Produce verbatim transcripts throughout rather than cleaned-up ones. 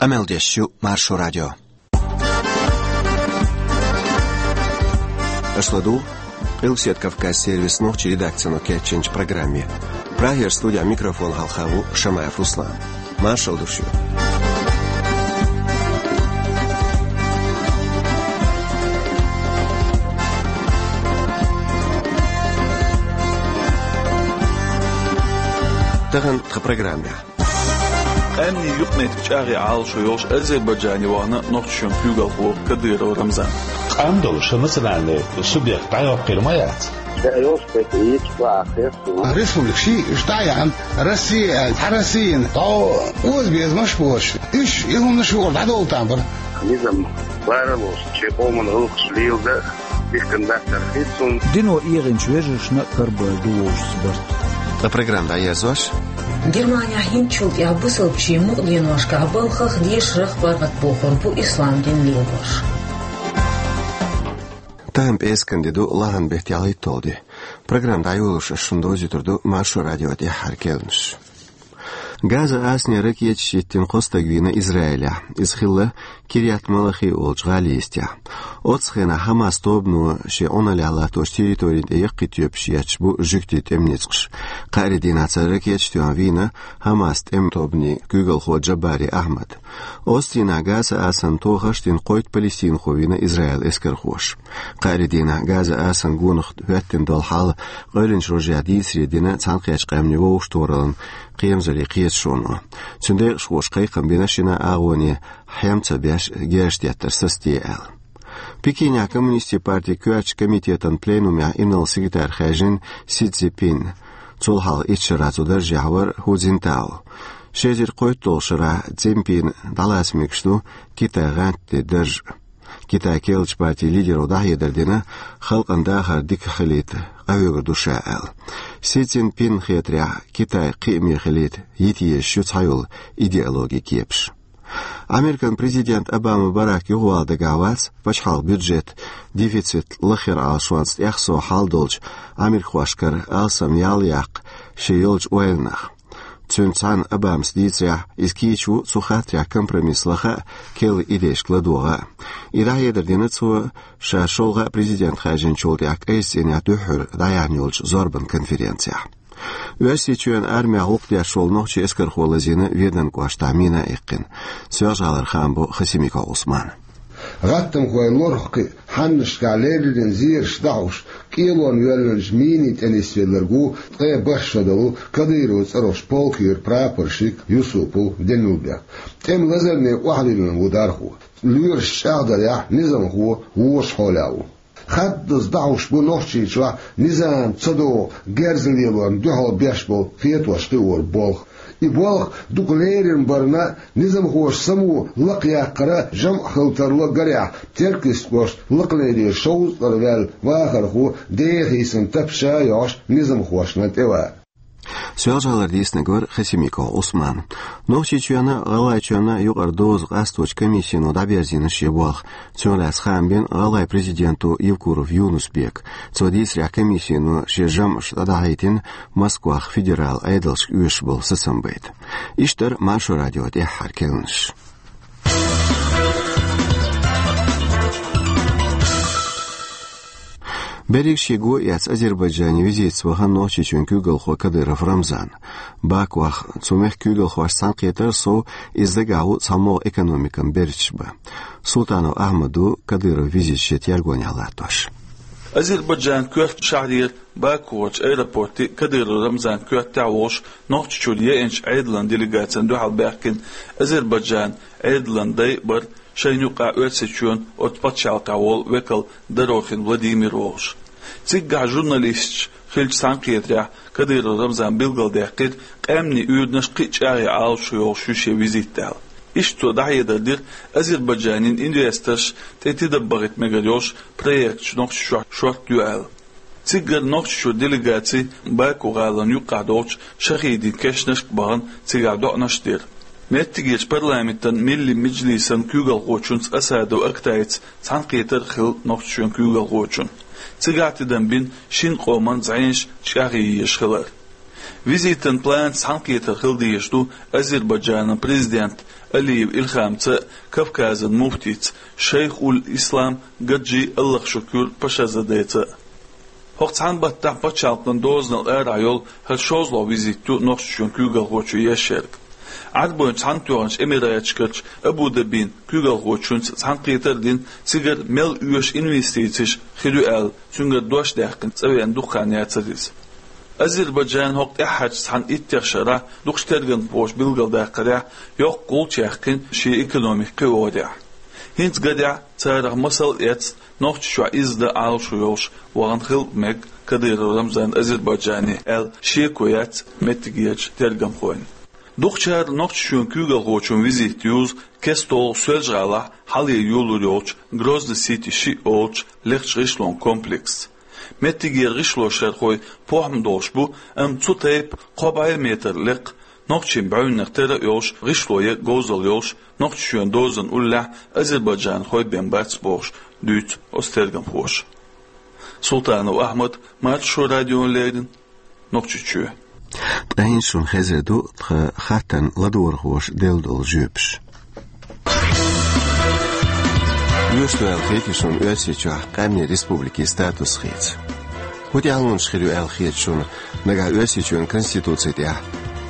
Къамел деш ю Маршо радио. Аша ладугӀу Къилбаседа Кавказ сервисан нохчийн редакцино кечйинчу программе. Прагера студехь микрофон хьалха ву Шамаев Руслан. Маршалла ду шуьга. Тахана тхан программехь. Къаьмнийн юкъаметтиг чӀагӀъян Ӏалашо йолуш Азербайджане вахана Нохчийчоьнан куьйгалхо Кадыров Рамзан. Къам долуш национальный субъект дӀайоккхур ма яц. Ша йолуш кхета йича ваха хьехна. Республика шиъ иштта а яхьна, Россия аьлла, цхьа Россияна дӀо озабезамаш а боцуш, уьш и хӀуманаш юкъара дӀадовла там бара. Низам баралуш, шен къоман гӀуллакхаш леладан дихкина дацар хир цунна. Дино эгӀинчу вежаршна а карабевлла ду вовшашца барт. Ткъа программа дӀаерзош. Германехь хӀинцачул тӀаьхьа бусалбачийн мукъаденошкахь балхах, дешарах паргӀатбохур бу ислам дин лелош. Тахана пӀераскан де ду, лахьан беттан ялхитталгӀа де. Программа дӀайолош ас шуна довзуьйтур ду Маршо радион тӀаьххьара керланаш. Газа-Асане ракеташ йиттина кхо стаг вийна Израилехь. Иза хилла Кирьят-Малахи олучу гӀалин йистехь. Оццу хенахь ХӀамас тобано шен Ӏуналлехь латточу территорина тӀе яккхий тоьпаш етташ бу жуьгтийн тӀеман ницкъаш. Кхаарин дийнахь цара ракеташ тоьхна вийна ХӀамас тӀеман тобанан куьйгалхо Джабари Ахьмад. Оццу дийнахь Газа-Асана тохарш а дина кхойтта палестинхо вийна Израилан эскархоша. Кхаарин дийнахь Газа-Асанан гонах хӀоьттина долу хьал къевлинчу рожехь дийцаре дина Цхьаьнакхеттачу Къаьмнийн Вовшахтохараллин кхерамзаллин кхеташоно. Цуьнан декъашхоша кхайкхам бина шина агӀоне хьем ца беш герз теттар сацаде аьлла. Пекинехь Коммунистийн партин коьртачу комитетан пленумехь инарла-секретарь хаьржина Си Цзиньпин. Цул хьалха итт шарахь цу даржехь вара Ху Цзиньтао. Ши эзар кхойтталгӀачу шарахь Цзиньпина дӀалаца мегаш ду Китайн гӀантден дарж. Китайн керлачу партин лидеро дӀахьедар дина, халкъан дахар дика хилийта къахьоьгур ду ша аьлла. Си Цзиньпинна хетарехь, Китай кхиаме хилийта йита езаш ю цхьайолу идеологин кепаш. Американ президент Обама Барак юхавала дагахь вац пачхьалкхан бюджетан дефицит лахъяран Ӏалашонца тӀехсо хьал долчу америкахошкара алсам ял яккха шен йолчу ойланах. Цуьнца цхьаьна Обамас дийцарехь, иза кийча ву цу хаттарехь компромисс лаха а, керла идейшка ладогӀа а. И дӀахьедар дина цо ша шолгӀа а президент хаьржинчул тӀаьхьа кӀайчу цӀийнехь дуьххьара дӀаяьхьна йолчу зорбан конференцехь. Оьрсийчоьнан армехь гӀуллакх деш волу нохчийн эскархо лазийна Веданан кӀоштахь мина а иккхина. Соьлжа-ГӀалара хаам бо Хасимиков Ӏусмана. ГӀаттамхойн лорах кхин а хьаннашкахь леррина зераш дӀахьош, кӀелонна воьллинчу минийн тӀе нисвелларг ву ткъе бархӀ шо долу Кадыровн цӀарахчу полкан юьра прапорщик Юсупов Демилбек. ТӀеман лазарне охьавиллина ву дархо. Лоьраш чӀагӀдарехь, низамхо вочу хьолехь ву. Хаддаза дӀахьош бу Нохчийчохь низам ца догӀу герз лелорна дуьхьал беш болу хетош кхиоран болх. И болх дукха лерина барна, низамхоша само лакхъяккхара жамӀ хила тарло гарехь, Теркйистан кӀоштан лакхалерера шовзткъа ваьлла вахархо деха йисина тапча а йохьуш низамхошна тӀевара. Соьлжа-ГӀалара дийцинарг вара Хасимиков Ӏусман. Нохчийчоьнна а, ГӀалгӀайчоьнна а юкъара доза къасточу комиссино дӀаберзийна шен болх. Цунах лаьцна хаам бина ГӀалгӀайн президенто Евкуров Юнус-Бека. Цо дийцарехь, комиссино шен жамӀаш дӀадахьийтина Москвахь федералан Ӏедалшка оьшуш болу сацамбайта. Иштта дара Маршо радион тӀаьххьара керланаш. Берриг шен го а эцна Азербайджане визитаца вахана Нохчийчоьнан куьйгалхо Кадыров Рамзан. Бакух цу мехкан куьйгалхошца цхьаьнакхетар а сов, иза дагахь ву цхьамогӀа экономикан берташ бан. Султанов Ахьмад ву Кадыровн визитан шен тергонехь латтош. Азербайджанан коьртачу шахьарера Бакугара аэропорте Кадыров Рамзан коьртехь а волуш, Нохчийчуьра еанчу Ӏедалан делегацина дуьхьал баьхкина Азербайджанан Ӏедалан дай а бара шайна юкъахь Оьрсийчоьнан оцу пачхьалкхехь волу векал Дорохин Владимир волуш. Циггахь журналисташца хиллачу цхьаьнакхетарехь Кадыров Рамзана билгалдаьккхира, къаьмнийн уьйранаш кхин а чӀагӀъян Ӏалашо йолуш ю шен визит аьлла. Иштта цо дӀахьедар дира, Азербайджанан инвесторш тӀе тидам бахийта мегар йолуш проекташ Нохчийчохь шортта ю аьлла. Цигара Нохчийчуьра делегаци Баку гӀалина юккъехь долчу Шахидин кешнашка бахана, цигахь доӀанаш а дира. Меттигерчу парламентан Милли Межлисан куьйгалхочуьнца Асадов Актайца цхьаьнакхетар а хилла Нохчийчоьнан куьйгалхочун. Цигахь тидам бина шина къоман зӀенаш чӀагӀъян езаш хилар. Визитан планца цхьаьнакхетар хила дезаш ду Азербайджанан президента Алиев Илхамца а, Кавказан муфтийца Шайхуль-Ислам Гаджи Аллахшукур Пашазадеца а. ХӀокху цхьана баттахь пачхьалкхан дозанал арахь йолу хӀара шозлагӀа визит ю Нохчийчоьнан куьйгалхочун еш ерг. Ӏарбойн Цхьаьнатоьхначу Эмираташкарчу Абу-Дабин куьйгалхочуьнца цхьаьнакхетар а дина, цигара мел оьшу инвестицеш хир ю аьлла, цуьнгара дош даьккхина цӀа веана дукха хан яцара иза. Азербайджан хӀокху тӀаьххьарчу цхьана иттех шарахь дукхачу тергамхоша билгалдаккхарехь, йоккха гӀулч яьккхина шен экономика кхиорехь. ХӀинца гадехь царах масал а эцна, Нохчийчохь изза дан Ӏалашо йолуш вахана хила а мега Кадыров Рамзан Азербайджане аьлла шеко яц меттигерчу тергамхойн. Дукхачара Нохчийчоьнан куьйгалхочун визит юзу кеста-долу Соьлжа-ГӀалахь хьале йолур йолчу Грозный Сити шиъ олучу лекхачу гӀишлон комплексца. Меттигера гӀишлошхойн похӀма долуш бу, амма цу тайпа кхо бӀе метр лекха, нохчийн бӀаьвнех тера а йолуш, гӀишло ян говзалла йолуш, Нохчийчоьнан дозанан уллехь азербайджанхой бен бац бохуш дуьйцу оцу тергамхоша. Султанов Ахьмад, Маршо радиона леррина, Нохчийчоь. Ткъа хӀинца шуна хезар ду тхан хаттарна ладогӀархоша делла долу жоьпаш. Оьшуш ду аьлла хетий шуна Оьрсийчохь къаьмнийн республикин статус хийца? ХӀун тӀаьхьалонаш хир ю аьлла хета шуна нагахь Оьрсийчоьнан Конституци тӀехь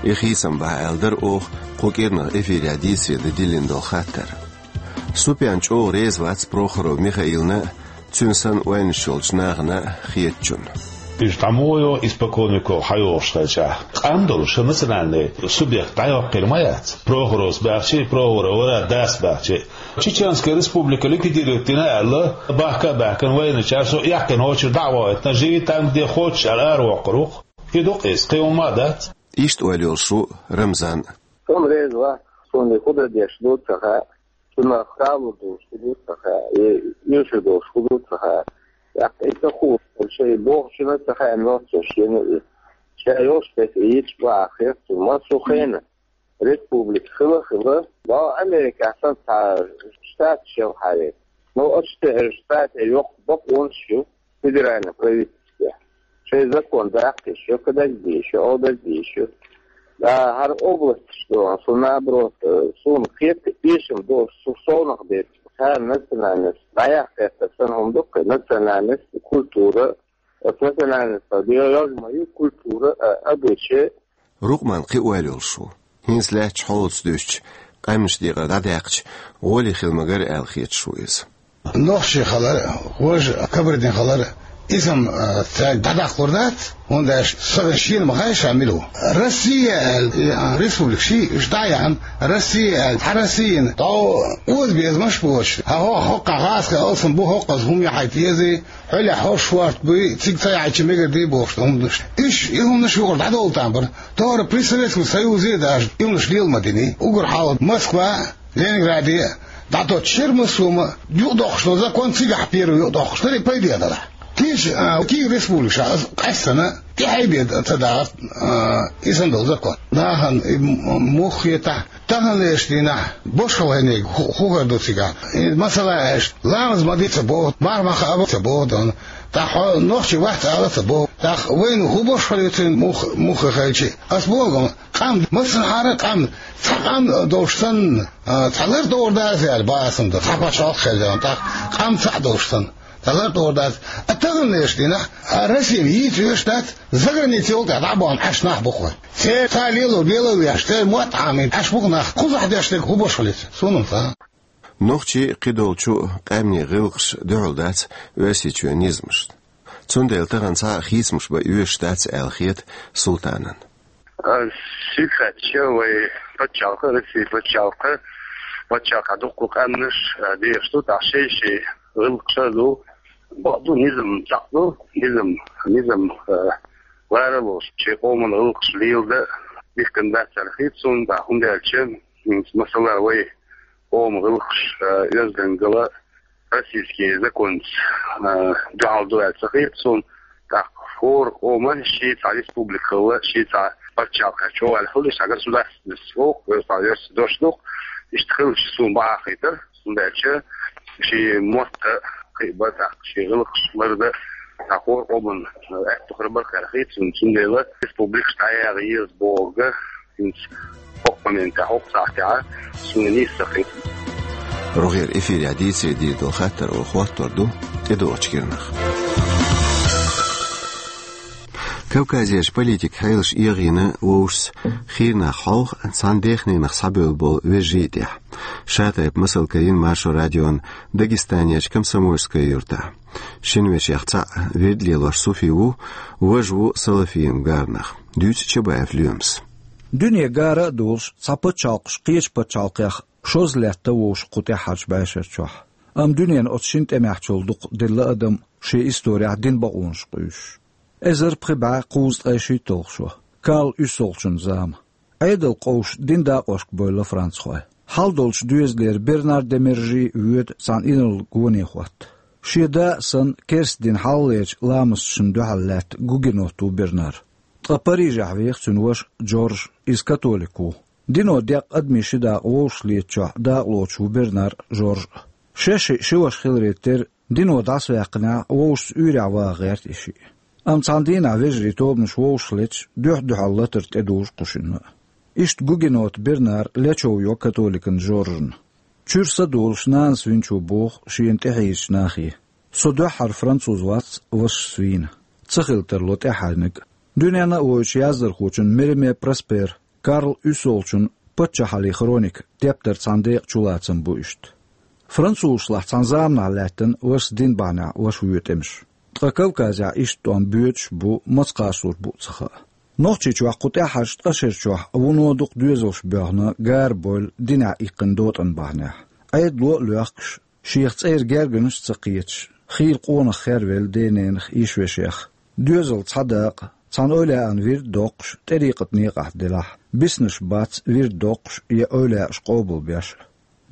и хийцам бахьа аьлла дара оха кху кӀирнах эфирехь дийцаре дан диллина долу хаттар? Супян чӀогӀа реза вац Прохоров Михаилна а, цуьнан санна ойланаш йолчу нахана а хетачунна. Уьш дӀа муха йо, испокон веков хьайогӀуш хилчахь, къам долуш национальный субъект дӀайоккхийла ма яц. Прохоровс баьхчи, Прохоров вара дас баьхчи. Чеченская республика ликвидировать дина аьлла, бахка а баьхкина вайначара со эккхина гӀочуьра дӀа а вахийтина, живи там, где хочешь аьлла, аравоккхур ву-кх. И ду-кх иза, кхин хӀумма а дац. Иштта ойла йолуш ву Рамзан. Суна реза вац, суна и хӀун дан дезаш ду ца хаьа, цунах хало долуш хӀун ду ца хаьа, и оьшуш долуш хӀун ду ца хаьа. ТӀаккха и ца хууш, шайн бохучунна а ца хаьа, нохчаша йина и. Ша йолуш тӀе и йича бахьа хета цунна массо а хенахь. Республика хила а хила, боху Америкехь санна цхьа штаташ ялахьара. Ну, оцу тӀе штатех йоккха бакъонаш ю федеральный правительстве. Шайн закон даккха йиш ю, кхидерг де йиш ю, олдерг де йиш ю. Ткъа хӀара областаш ду, со наоборот, э, суна кхета, эшам долуш, со совнах бепиг. Цара национальность дӀаяккха гӀертар санна хӀума ду-кх, национальность, культура, оцу национальностах йо-, йоьзна ма ю культура, а, обычай. Рукъман кхин ойла йолуш ву. ХӀинца лаьттачу хьолаца дуьстича, къаьмнаш декъар дӀадаьккхича, гӀоле хила магара аьлла хеташ ву иза. Нохчий хилар, важа Кабардин хилар, иза-м, а, цаьрга дӀадаккхалур дац, хӀунда аьлча сагана шена ма хаьа ша мила ву. Россия аьлла, и, а, республика ши, уьш дӀа а яьхна, Россия аьлла, хьан Россияна дӀо оза безамаш боцуш, хьан хӀо-, хӀокхахь гӀазкхийн алсам бу, хӀокхуза хӀума яхьийта езий, хьолехь хӀорш шорта буй, цига ца яхьийча мегар дий бохуш хӀума ду. Уьш, и хӀуманаш юкъара дӀадовла там бара. ТӀаккха при Советском Союзе даже и хӀуманаш лела ма динний. Уггар хьалха Москва, Ленинграде дӀатоттуш яра массо а, юкъадоккхуш долу закон цигахь первый юкъадоккхуш дара, и пайде а далахь. Кийча, а, кийра республика ша, аса къаьстина, тӀехьайбе ца дахара, а, и санна долу закон. Нахана и м-, муха хетахь, таханлерчу дийнахь башхалла хӀинниг хӀу-, хӀун хир ду цигахь? И масала аьлча, ламаз ма де ца боху, марха ма хаа ца боху, дан. ТӀаккха хьо нохчи вац ала ца боху. ТӀаккха вайна хӀун башхалла ю цуьнан мух-, муха хилчи? Ас боху, къам, массанхьара а къам, цхьа къам долуш санна, а, цхьа лар тӀера даза аьлла, бан аса дан, цхьа пачхьалкх хир дан, тӀаккха къам цхьаъ долуш санна. Цхьа лар тӀера дац. А таханлерчу дийнахь, а, Россия йийца оьшуш дац, заграница йолу тӀехь дӀабахана Ӏаш нах бу-кх вай. Церан цхьа лело, лело веш, церан мотт Ӏамийна Ӏаш бу-кх нах. Кхузахь деш дерг хӀун башхалла ю цуьнан? Суна ца. Нохчий, кхидолчу къаьмнийн гӀиллакхаш дуьхьал дац Оьрсийчоьнан низамашна. Цундела тахана цхьа а хийцамаш бан оьшуш дац аьлла хета Султанан. А, ши хаьттича вай пачхьалкх, Россия пачхьалкх, пачхьалкхехь дуккха къаьмнаш, а, дехаш ду, тӀаккха шай-шай гӀиллакхаш а ду, бакъ ду, низам цхьаъ ду, низам, низам, а, лара а лоцуш, шен къоман гӀиллакхаш леладан дихкина дац аьлла хета суна, тӀаккха хӀунда аьлча, хӀинца, масала, вай къоман гӀиллакхаш, а, оьздангалла, российский законца, а, дуьхьал ду аьлла ца хета суна, тӀаккха хӀора къоман шен цхьа республика хилла, шен цхьа пачхьалкх чӀогӀа аьлла хилла, иштта государственность воккху, вай цхьа оьрсийн дош ду-кх, иштта хилча суна бакъахьа хетара, хӀунда аьлча шен мотт а кхиабан, тӀаккха шен гӀиллакхаш лардан, Цхьа хӀора къоман аьттув хир бара-кх аьлла хета суна, цундела республикаш дӀаяла еза бохург хӀинца хӀокху моментехь, хӀокху сахьтехь суна нийса ца хета. РогӀера эфирехь дийцаре дийр долу хаттар олу хӀоттор ду тӀедогӀучу киранах. Кавказерчу политикан хьелаш эгӀийна вовшашца хийра нах хьовха цхьана дехненах схьабевлла болу вежарий а тӀехь. Ша тайпа масал карийна Маршо радион Дагестанерчу Комсомольская юьртахь. Шина вешех цхьаъ вирд лелош Суфи ву, важа ву салафийн гаранах. Дуьйцу Чабаев Лоьмас. Дуьне гара а долуш, цхьа пачхьалкхаш кхечу пачхьалкхех шозза лаьтта вовшах кху тӀаьххьарчу бӀешарчохь. Амма дуьненан оцу шина тӀамехь чул дукха делла адам шен исторехь динан бакъонаш къуьйсуш. Эзар пхи бӀе кхузткъе шийтталгӀа шо, Карл УьссолгӀачун зама. Ӏедалан къовсуш динан дакъошка бевлла францхой. Хьалдолчу доьзалера Бернар де Мержи воьду цхьана инарла гоне хӀотта. Шен да а санна, керста дин хьалхалерчу ламасташна дуьхьал лаьтта гугенот ву Бернар. Ткъа Парижехь веха цуьнан ваша Джордж, иза католик ву. Дино декъна адамийн ши дакъа вовшахлетачохь дакъалоцуш ву Бернар а, Жорж а. Шаьш шиъ ши ваша хиларе терра, дино дӀасаваьккхинехь, вовшашца уьйрехь ваха гӀерта и шиъ. Амма цхьана дийнахь вежарийн тобанаш вовшахлеташ дуьхь-дуьхьал латар тӀедужу кху шинна а. Иштта гугенот Бернар лечов йо католикан Жоржна. Чуьра са долуш нанас винчо боху шена тӀехьийзачу нахе: «Со дуьххьара француз вац, вашас вийна». Ца хила тарло тӀаьхьарниг а. Дуьненна а вевзачу яздархочун Мереме Проспер, Карл УьссолгӀачун «Паччахьаллин хроника» тептаран цхьана декъан чулацам бу иштта. Французашлахь цхьана заманахь лаьттина вашас динан бахьанехь ваша воьду тӀемаш. Ткъа Кавказехь иштта тӀом боьдуш а бу, маца кхачалур бу а ца хаьа. Нохчийчохь кху тӀаьххьарчу ткъа шарчохь вуно дукха доьзалш боьхна, гара бевлла динехь иккхина дотӀанан бахьанехь. Ӏедало а лоьхкуш, шех цӀера гергарнаш а ца кхеташ, хийла къонах хервелла дененах, йишвешех. Доьзал цхьа дакъа, цхьана эвлаяан вирд доккхуш, тӀарикъатан некъахь делахь, биснарш бац вирд доккхуш я эвлаяаш къобалбеш а.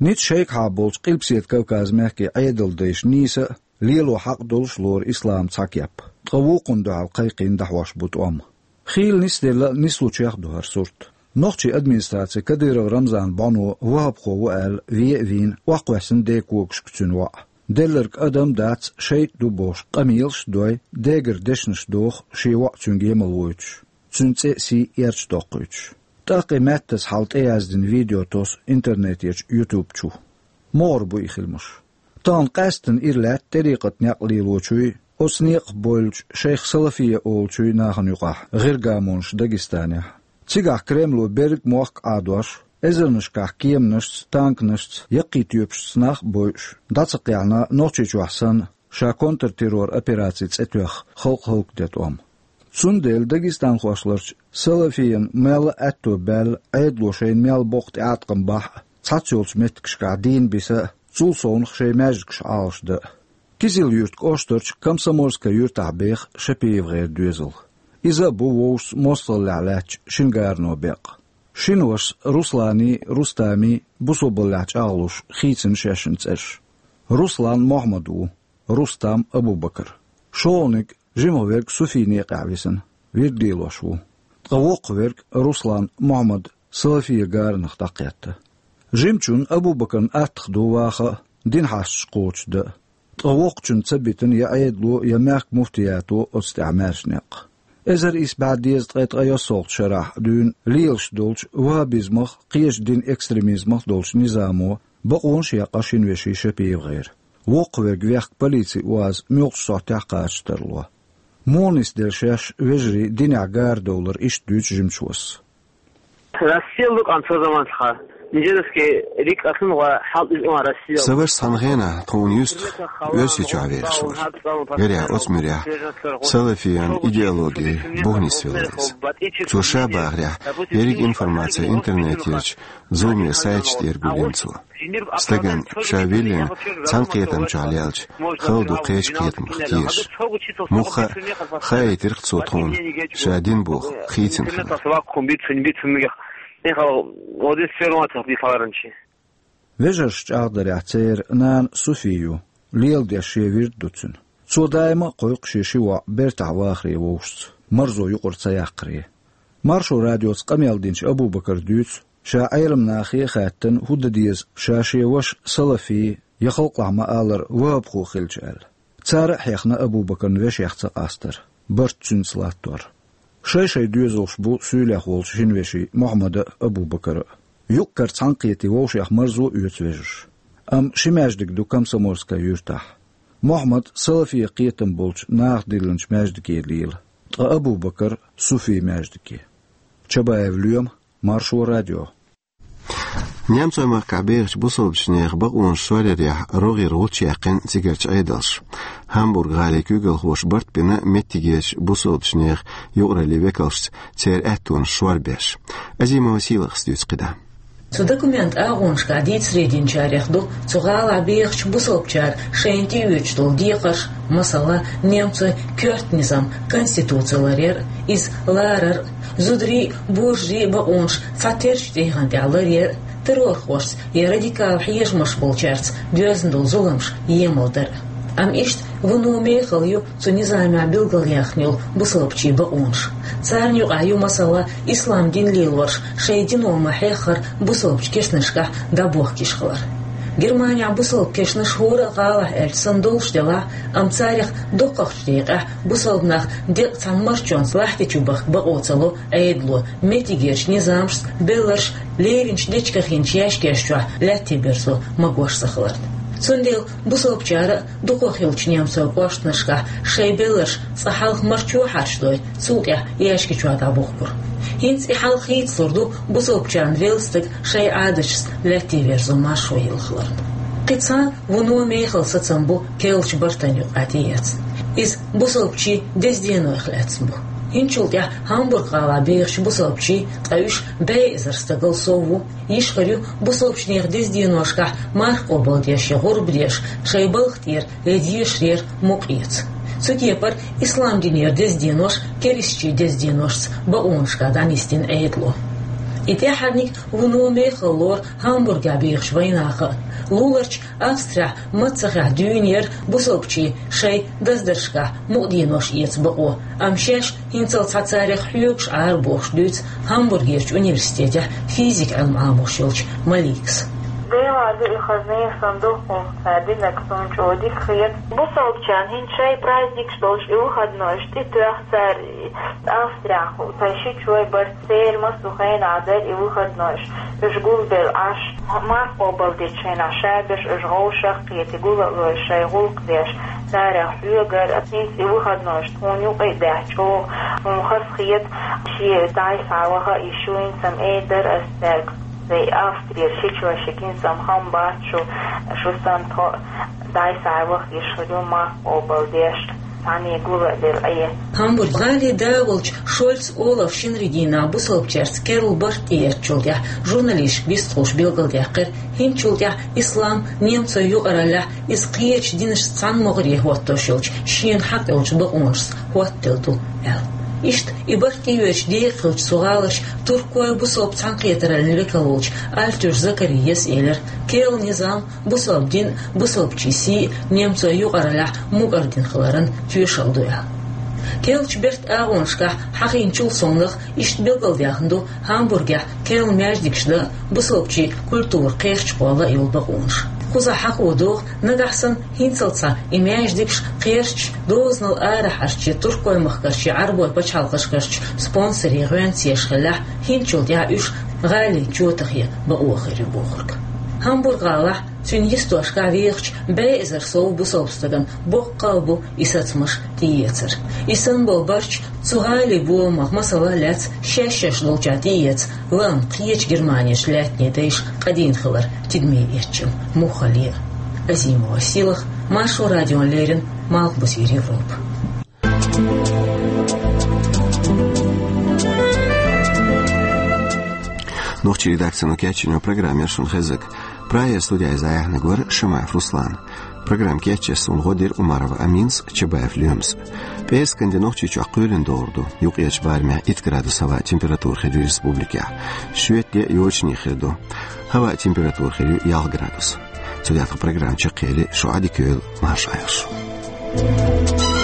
Ницкъ шайгахьа болчу Къилбаседа Кавказан мехкийн Ӏедалдайша нийса а, лело хьакъ долуш а лору ислам цхьа кеп. Ткъа вукхунна дуьхьал кхайкхийна дӀахьош бу тӀом. Хийла нисделла а, нислучех а ду хӀара сурт. Нохчийн администраци Кадыров Рамзанан бӀоно вахӀабхо ву аьлла ве а вийна, охьакхоьссина ден когашка цуьнан воӀ. Делларг адам а дац, шайтӀа ду бохуш, къамелаш а дой, дегара дешнаш доху шен воӀ цуьнга емал войтуш, цуьнан цӀе а, сий а эрча доккхуьйтуш. ТӀаккха и маьттаза хьал тӀеяздина видео тосу интернетерчу YouTube чу. МогӀар бу и хиламаш. Тахана къаьсттина ира лаьтта тӀарикъатан некъ лелочуй, оцу некъах бевллачу шайх Салафия олучуй нахана юкъахь, гӀиргамонаш Дагестанехь. Цигахь Кремло берриг мохк а Ӏадош, эзарнашкахь кеманашца, танканашца, яккхий тоьпашца нах а бойуш, дӀа ца кхехьна, Нохчийчохь санна, ша контртеррор операци цӀе тоьхна, халкъ хӀаллакден тӀом. Цундела дагестанхошларчу Салафиян мел а аьтто баьлла, Ӏедало шайна мел боккха тӀеӀаткъам бахь а, цхьацца йолчу меттигашкахь дийна биса а, цул совнаха шайн маьждигаш Ӏалашдан а. Кизил-Юрт кӀоштарчу Комсомольская юьртахь беха ШапиевгӀеран доьзал. Иза а бу вовшашца мостагӀаллехь лаьттачу шина гарано беккъа. Шина вашас Русланий, Рустамий бусалбаллехь чӀагӀлуш хийцина шаьшшиннан цӀераш. Руслан Мохьмад ву, Рустам Абу-Бакар. ШолгӀаниг, жимах верг Суфий некъехь висина, вирд лелош ву. Ткъа воккхаверг, Руслан Мохьмад, Салафия гаранах дӀакхетта. Жимачунна Абу-Бакарна аттах ду ваха а, дин хьасташ кхочушдан а. Ткъа воккхачунна ца битина я Ӏедало, я мехкан муфтиято оцу тӀехь маьрша некъ. Эзар исс бӀе дезткъе ткъайоьсналгӀачу шарахь дуьйна лелаш долчу ваххабизмах а, кхечу динан экстремизмах а долчу низамо бакъонаш а яьккха шина вешин ШапиевгӀеран. Воккхаверг вехка полицин УАЗ муьлххачу сохьтехь кхача тарло. Муха нисделла шаьш вежарий динехь гарадовлар, иштта дуьйцу жимачу вашас. Россия лукъан цо заман цхьа. Нижерский рик аслун гӀа хьал из он Россия. Сан вашас цхьана хенахь тхуна юьстах Оьрсийчохь вехаш вара. Гарехь, оцу муьрехь салафиян идеологи буха нисвелла иза. Цо ша бахарехь, ерриг информаци интернетерчу зуламе сайташ тӀера гулйина цо. Стагана ша виллина цхьана кхетам чохь лелча, хала ду кхечу кхетамах тешаш. Муха хаийтира-кх цо тхуна, ша дин боху хийцина хилар. Вежарша чӀагӀдарехь, церан нана Суфи ю, леладеш шен вирд ду цуьнан. Цо даима а кхойкху шен ши воӀ бертахь вахаре вовшашца, марзо юкъара ца яккхаре. Маршо радиоца къамел динчу Абу-Бакара дуьйцу, ша Ӏеламнахе а хаьттина, хӀун дан деза, ша шен ваша салафи, я халкъалахь ма-аллара, ваххабхо хилча аьлла. Цара а хьехна Абу-Бакарна вешех цакъастар, барт цуьнца латтор. Шай-шай доьзалш бу суьйлех волчу шина вешин Мухьаммада а, Абу-Бакара а. Юккъера цхьаьнакхетий вовшех марзо а оьцу вежарша. Амма ши маьждиг ду Комсомольская юьртахь. Мухьаммад салафе кхетам болчу наха диллинчу маьждиге лела, ткъа Абу-Бакар суфий маьждиге. Чабаев Лоьма, Маршо радио. Немцойн махкахь бехачу бусалбачу нехан бакъонаш соръярехь рогӀера гӀулч яьккхина цигарчу Ӏедалша. Гамбург-гӀалин куьйгалхоша барт бина меттигерчу бусалбачу нехан юкъараллин векалшца церан аьттонаш сорбеш. Азимова Сийлахьас дуьйцу кхидӀа. Цу документан агӀонашкахь дийцаре динчарех ду цу гӀалахь бехачу бусалбачара шайна тӀеоьцуш долу декхарш, масала, немцойн коьрта низам, конституци ларъяр а, иза ларар а, зударийн а, божарийн а бакъонаш цхьатеррачу тӀегӀан тӀехь ларъяр а, террорхошца я радикал хьежамаш болчаьрца доьзна долу зуламаш емалдар а. Амма иштта вуно мехала ю цу низамехь билгалъяьхна йолу бусалбачийн бакъонаш. Царна юкъахь ю, масала, ислам дин лелорш шайн дино ма-хьеххара бусалбачу кешнашкахь дӀабохкийш хилар. Германехь бусалба кешнаш хӀора а гӀалахь аьлча санна долуш делахь а, амма царах доккхахчу декъехь бусалба нах декъа цхьана марчонца лахьти чу бахка бакъо ца ло Ӏедало, меттигерчу низамашца белларш леринчу дечиган хинчу яьшкеш чохь лаьттаберзо магош ца хиларна. Цундела бусалбачара а дукха хиллачу немцойн кӀоштанашкахь шайн белларш цкъа хьалха марчо хьарчдой, цул тӀаьхьа яьшки чохь дӀабухкура. ХӀинца и хьал хийцалур ду бусалбачарна велла стаг шайн Ӏадаташца лаьттаберзо маршо йилла хиларна. Кхин цхьа вуно мехала сацам бу керлачу бартана юкъахь тӀеэцна. Иза бусалбачийн деза денойх лаьцна бу. ХӀинцачул тӀаьхьа Гамбург-гӀалахь бехачу бусалбачийн, ткъа уьш бӀе эзар стагал сов ву, йиш хир ю бусалбачу нехан деза деношкахь марха къобалдеш я гӀурба деш, шайн балха тӀера я дешарера мукъа эца. Цу кепара ислам динера деза денош керистачийн деза деношца бакъонашкахь дӀанисдина Ӏедало. И тӀаьххьарниг вуно мехала лору Гамбургехь бехачу вайнаха а. Луларчу Австрехь маццахехь дуьйна яра бусалбачийн шайн даздаршкахь мукъаденош эца бакъо, амма шаьш хӀинццалц цхьа царах хьоьгуш Ӏара бохуш дуьйцу Гамбургерчу университетехь физика Ӏилма Ӏамош йолчу Маликас. Дела ду и хазне сан духхьалца динарг суна чӀогӀа дика хета. Бусалбачарна хӀинца шайн праздникаш долуш и выходнойш тӀетоьхна цара Австрехь, тхайн шичой барт церан массо хенахь дара и выходнойш. Уьш гулбелла Ӏаш, марха къобалдечу хенахь шаберш уьш вовшах а кхетий гул а лой шайн гӀуллакх деш, царах хьоьгура. ХӀинца и выходнойш тхуна юкъа а даьхьна чӀогӀа, хӀунда хаза хета, шен дӀай схьаваха а йиш ю, хӀинца-м эр дара ас цаьрга. Вай Австрера шичой шига хӀинца-м хам бац шу, шу санна тхо а дӀай схьаваха йиш хир ю, марха къобалдеш, цхьаьна гул а делла Ӏе. Гамбург-гӀалин да волчу Шольц Олафа шинарин дийнахь бусалбачаьрца керла барт тӀеэцначул тӀаьхьа журналисташка вистхуьлуш билгалдаьккхира, хӀинцачул тӀаьхьа ислам немцойн юкъараллехь иза кхечу динашца цхьана могӀаре хӀоттош йолчу шена хьакъ йолчу бакъонашца хӀоттаделла ду аьлла. Иштта и барт тӀеоьцуш декъахь хиллачу цу гӀаларчу туркойн бусалба цхьаьнакхетараллин векал волчу Альтуш Закарияс элира, керла низам, бусалба дин а, бусалбачийн сий а немцойн юкъараллехь мукӀар дин хиларан тоьшалла ду аьлла. Керлачу бертан агӀонашкахь хьахийначул совнаха иштта билгалдаьхна ду Гамбургехь керла маьждигаш дан а, бусалбачийн культура кхерчахьа кхолла а йолу бакъонаш. Кхузахь хьахо догӀу, нагахь санна хӀинццалц цхьа и маьждигаш кхерчаш дозанал арахьарчу я туркойн махкарчу я Ӏарбойн пачхьалкхашкарчу спонсорийн гӀоьнца еш хиллехь, хӀинцачул тӀаьхьа уьш гӀалин чотахъе бакъо хир ю бохург. Гамбург-гӀалахь, цуьнан йистошкахь вехачу бӀе эзар сов бусалба стагана боккха а бу и сацамаш тӀеэцар. И санна болу барт цу гӀалин бомах, масала, лаьцна шаьш-шаьш долчохь тӀеэца лаам кхечу Германерчу лаьттанийн дайша къадийна хилар тидаме эцча муххале а. Азимова Сийлахь, Маршо радиона леррина, Малхбузера Европа. Нохчийн редакцино кечйина программа яра шуна хезнарг. Прагера студехь иза дӀаяьхьнарг вара Шамаев Руслан. Программа кечъеш суна гӀо дира Умарова Аминас, Чабаев Лоьмас. ПӀераскан де Нохчийчохь кхоьлина догӀур ду. Юккъерчу барамехь итт градус хӀаваан температура хир ю республикехь. Шоьтан де йочане хир ду. ХӀаваан температура хир ю ялх градус. Цу тӀехь тхан программа чекхъели, шу Ӏадика йойла, марша Ӏайла шу.